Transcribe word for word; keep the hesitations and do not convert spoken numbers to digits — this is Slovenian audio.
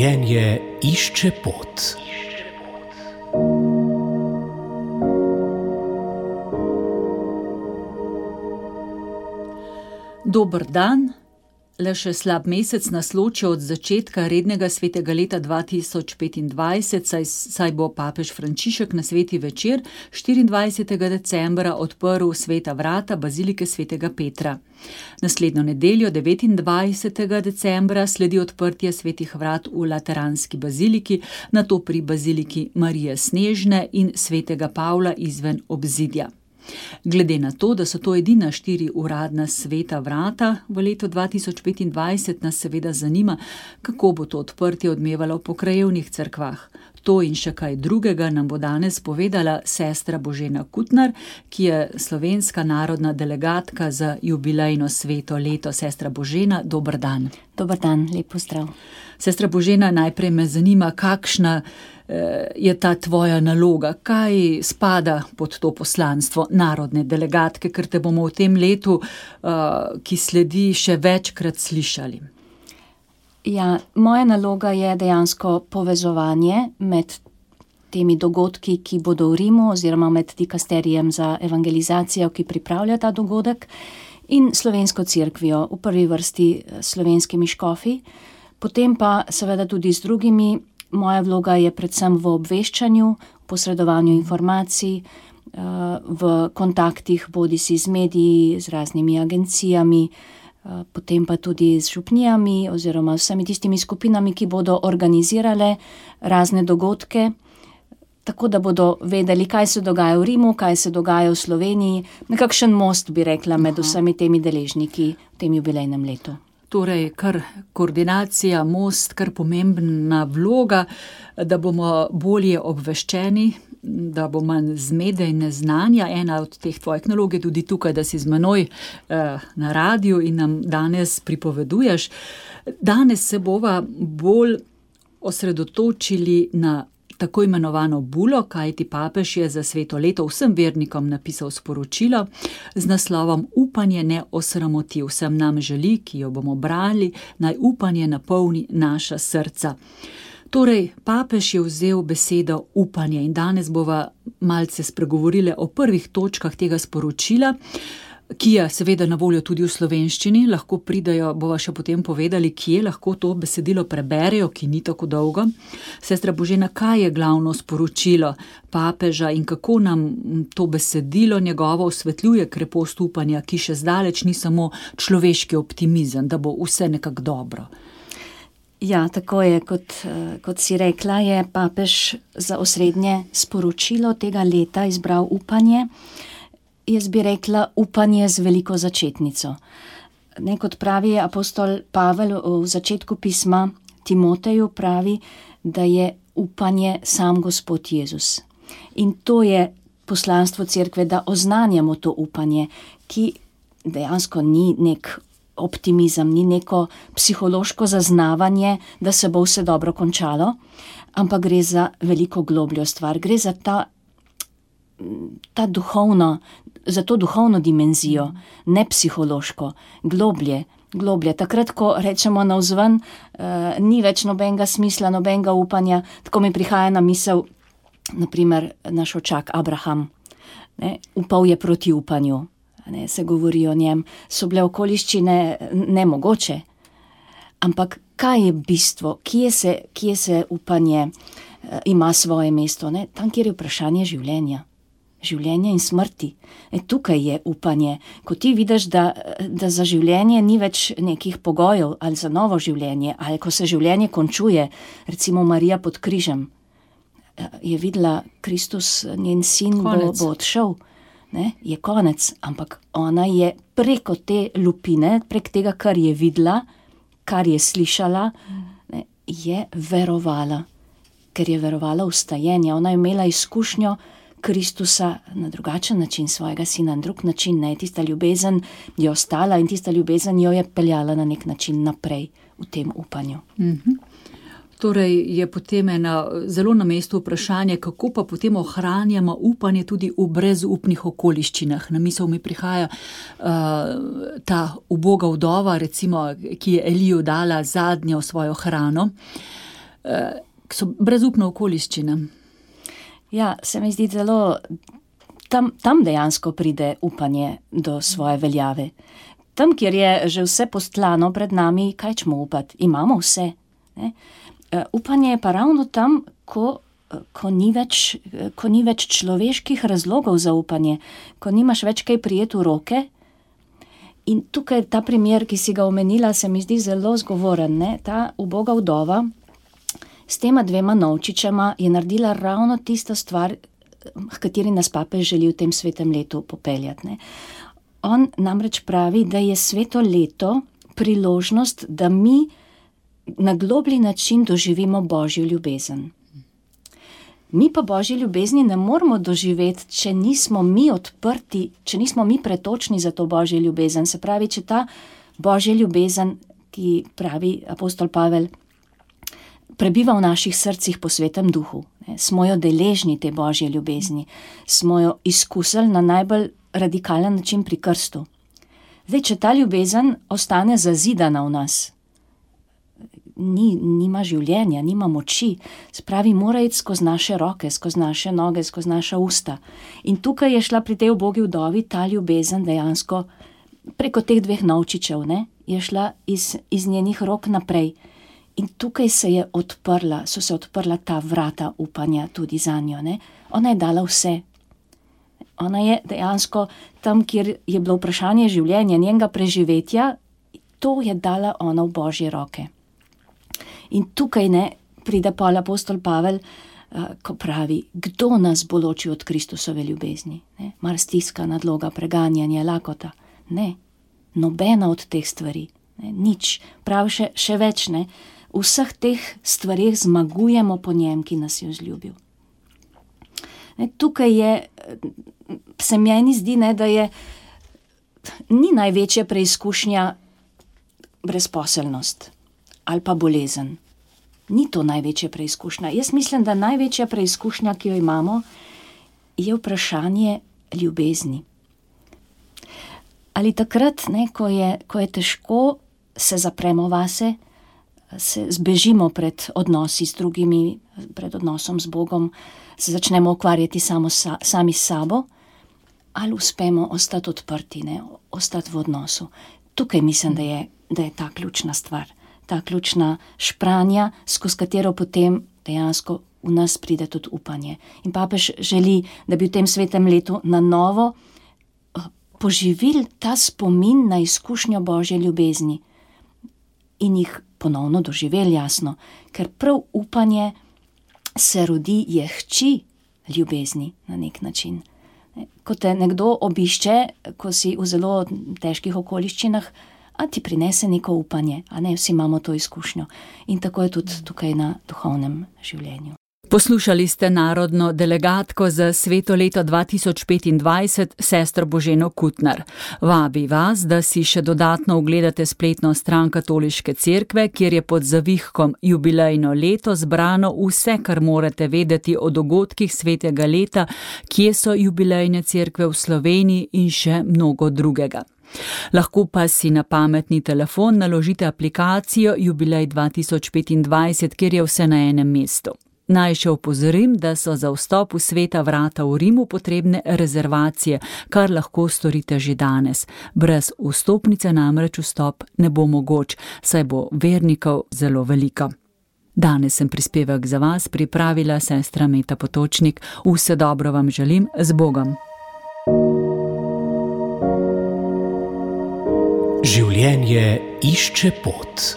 Življenje išče pot. Dober dan, le še slab mesec nas loči od začetka rednega svetega leta dva tisoč petindvajset, saj, saj bo papež Frančišek na sveti večer štiriindvajsetega decembra odprl sveta vrata bazilike svetega Petra. Naslednjo nedeljo, devetindvajsetega decembra, sledi odprtje svetih vrat v Lateranski baziliki, nato pri baziliki Marije Snežne in svetega Pavla izven obzidja. Glede na to, da so to edina štiri uradna sveta vrata v letu dva tisoč petindvajset, nas seveda zanima, kako bo to odprtje odmevalo po krajevnih cerkvah. To in še kaj drugega nam bo danes povedala sestra Božena Kutnar, ki je slovenska narodna delegatka za jubilejno sveto leto. Sestra Božena, dober dan. Dober dan, lep pozdrav. Sestra Božena, najprej me zanima, kakšna je ta tvoja naloga, kaj spada pod to poslanstvo narodne delegatke, ker te bomo v tem letu, ki sledi, še večkrat slišali. Ja, moja naloga je dejansko povezovanje med temi dogodki, ki bodo v Rimu, oziroma med dikasterijem za evangelizacijo, ki pripravlja ta dogodek, in slovensko cerkvijo, v prvi vrsti slovenskimi škofi, potem pa seveda tudi z drugimi. Moja vloga je predvsem v obveščanju, posredovanju informacij, v kontaktih bodisi z mediji, z raznimi agencijami, potem pa tudi z župnijami oziroma vsemi tistimi skupinami, ki bodo organizirale razne dogodke, tako da bodo vedeli, kaj se dogaja v Rimu, kaj se dogaja v Sloveniji, nekakšen most, bi rekla, med vsemi temi deležniki v tem jubilejnem letu. Torej, kar koordinacija, most, kar pomembna vloga, da bomo bolje obveščeni, da bo manj zmede in neznanja. Ena od teh tvojih nalog je tudi tukaj, da si z menoj eh, na radiju in nam danes pripoveduješ. Danes se bova bolj osredotočili na tako imenovano bulo, kajti papež je za sveto leto vsem vernikom napisal sporočilo z naslovom Upanje ne osramoti. Vsem nam želi, ki jo bomo brali, naj upanje napolni naša srca. Torej, papež je vzel besedo upanje in danes bova malce spregovorile o prvih točkah tega sporočila, ki je seveda na voljo tudi v slovenščini. Lahko pridejo, bova še potem povedali, kje lahko to besedilo preberejo, ki ni tako dolgo. Sestra Božena, kaj je glavno sporočilo papeža in kako nam to besedilo njegovo osvetljuje krepost upanja, ki še zdaleč ni samo človeški optimizem, da bo vse nekako dobro? Ja, tako je, kot, kot si rekla, je papež za osrednje sporočilo tega leta izbral upanje. Jaz bi rekla upanje z veliko začetnico. Ne, kot pravi apostol Pavel v začetku pisma Timoteju, pravi, da je upanje sam Gospod Jezus. In to je poslanstvo cerkve, da oznanjamo to upanje, ki dejansko ni nek optimizem, ni neko psihološko zaznavanje, da se bo vse dobro končalo, ampak gre za veliko globljo stvar, gre za ta ta duhovno, za to duhovno dimenzijo, ne psihološko, globlje, globlje. Takrat, ko rečemo navzven, uh, ni več nobenega smisla, nobenega upanja, tako mi prihaja na misel, naprimer, naš očak Abraham, ne, upal je proti upanju, ne, se govori o njem, so bile okoliščine nemogoče, ampak kaj je bistvo, kje se, kje se upanje uh, ima svoje mesto, ne? Tam, kjer je vprašanje življenja. Življenja in smrti. E, tukaj je upanje. Ko ti vidiš, da, da za življenje ni več nekih pogojev ali za novo življenje, ali ko se življenje končuje, recimo Marija pod križem, je videla Kristus, njen sin bo, bo odšel, ne? Je konec, ampak ona je preko te lupine, prek tega, kar je videla, kar je slišala, ne, je verovala, ker je verovala v stajenje. Ona je imela izkušnjo Kristusa na drugačen način, svojega sina na drug način, ne, tista ljubezen je ostala in tista ljubezen jo je peljala na nek način naprej v tem upanju. Mhm. Torej je potem ena zelo na mestu vprašanje, kako pa potem ohranjamo upanje tudi v brezupnih okoliščinah. Na misel mi prihaja uh, ta uboga vdova, recimo, ki je Eliju dala zadnjo svojo hrano. ki so brezupno okoliščine. Ja, se mi zdi zelo, tam, tam dejansko pride upanje do svoje veljave. Tam, kjer je že vse postlano pred nami, kaj čemo upati? Imamo vse. Ne? Upanje je pa ravno tam, ko, ko, ni več, ko ni več človeških razlogov za upanje, ko nimaš več kaj prijeti v roke. In tukaj ta primer, ki si ga omenila, se mi zdi zelo zgovoren. Ne? Ta uboga vdova s tema dvema novčičema je naredila ravno tisto stvar, h kateri nas papež želi v tem svetem letu popeljati. Ne? On namreč pravi, da je sveto leto priložnost, da mi na globlji način doživimo Božjo ljubezen. Mi pa Božje ljubezni ne moramo doživeti, če nismo mi odprti, če nismo mi pretočni za to Božje ljubezen. Se pravi, če ta Božja ljubezen, ki pravi apostol Pavel, prebiva v naših srcih po svetem duhu. Ne, smo jo deležni te Božje ljubezni, smo jo izkusili na najbolj radikalen način pri krstu. Zdaj, če ta ljubezen ostane zazidana v nas, ni, nima življenja, nima moči, spravi, mora iti skozi naše roke, skozi naše noge, skozi naša usta. In tukaj je šla pri tej ubogi vdovi ta ljubezen dejansko preko teh dveh novčičev, ne, je šla iz, iz njenih rok naprej. In tukaj se je odprla, so se odprla ta vrata upanja tudi za njo. Ne? Ona je dala vse. Ona je dejansko tam, kjer je bilo vprašanje življenja, njenega preživetja, to je dala ona v Božje roke. In tukaj ne pride pol apostol Pavel, uh, ko pravi, kdo nas bo ločil od Kristusove ljubezni? Ne? Mar stiska, nadloga, preganjanje, lakota? Ne, nobena od teh stvari. Ne? Nič, prav še, še več ne. V vseh teh stvarih zmagujemo po njem, ki nas je vzljubil. Ne, tukaj je, se meni zdi, ne, da je, ni največja preizkušnja brezposelnost ali pa bolezen. Ni to največja preizkušnja. Jaz mislim, da največja preizkušnja, ki jo imamo, je vprašanje ljubezni. Ali takrat, ne, ko je, ko je težko, se zapremo vase, se zbežimo pred odnosi z drugimi, pred odnosom z Bogom, se začnemo ukvarjati samo sa, sami s sabo, ali uspemo ostati odprti, ne, ostati v odnosu. Tukaj mislim, da je, da je ta ključna stvar, ta ključna špranja, skozi katero potem dejansko v nas pride tudi upanje. In papež želi, da bi v tem svetem letu na novo poživili ta spomin na izkušnjo Božje ljubezni in jih ponovno doživeli, jasno, ker prav upanje se rodi, je hči ljubezni na nek način. Ko te nekdo obišče, ko si v zelo težkih okoliščinah, a ti prinese neko upanje, a ne, vsi imamo to izkušnjo. In tako je tudi tukaj na duhovnem življenju. Poslušali ste narodno delegatko za sveto leto dva tisoč petindvajset, sestro Boženo Kutnar. Vabi vas, da si še dodatno ogledate spletno stran Katoliške cerkve, kjer je pod zavihkom jubilejno leto zbrano vse, kar morate vedeti o dogodkih svetega leta, kje so jubilejne cerkve v Sloveniji in še mnogo drugega. Lahko pa si na pametni telefon naložite aplikacijo Jubilej dva tisoč petindvajset, kjer je vse na enem mestu. Naj še opozorim, da so za vstop v sveta vrata v Rimu potrebne rezervacije, kar lahko storite že danes. Brez vstopnice namreč vstop ne bo mogoč, saj bo vernikov zelo veliko. Danes sem prispevek za vas pripravila sestra Meta Potočnik. Vse dobro vam želim, z Bogom. Življenje išče pot.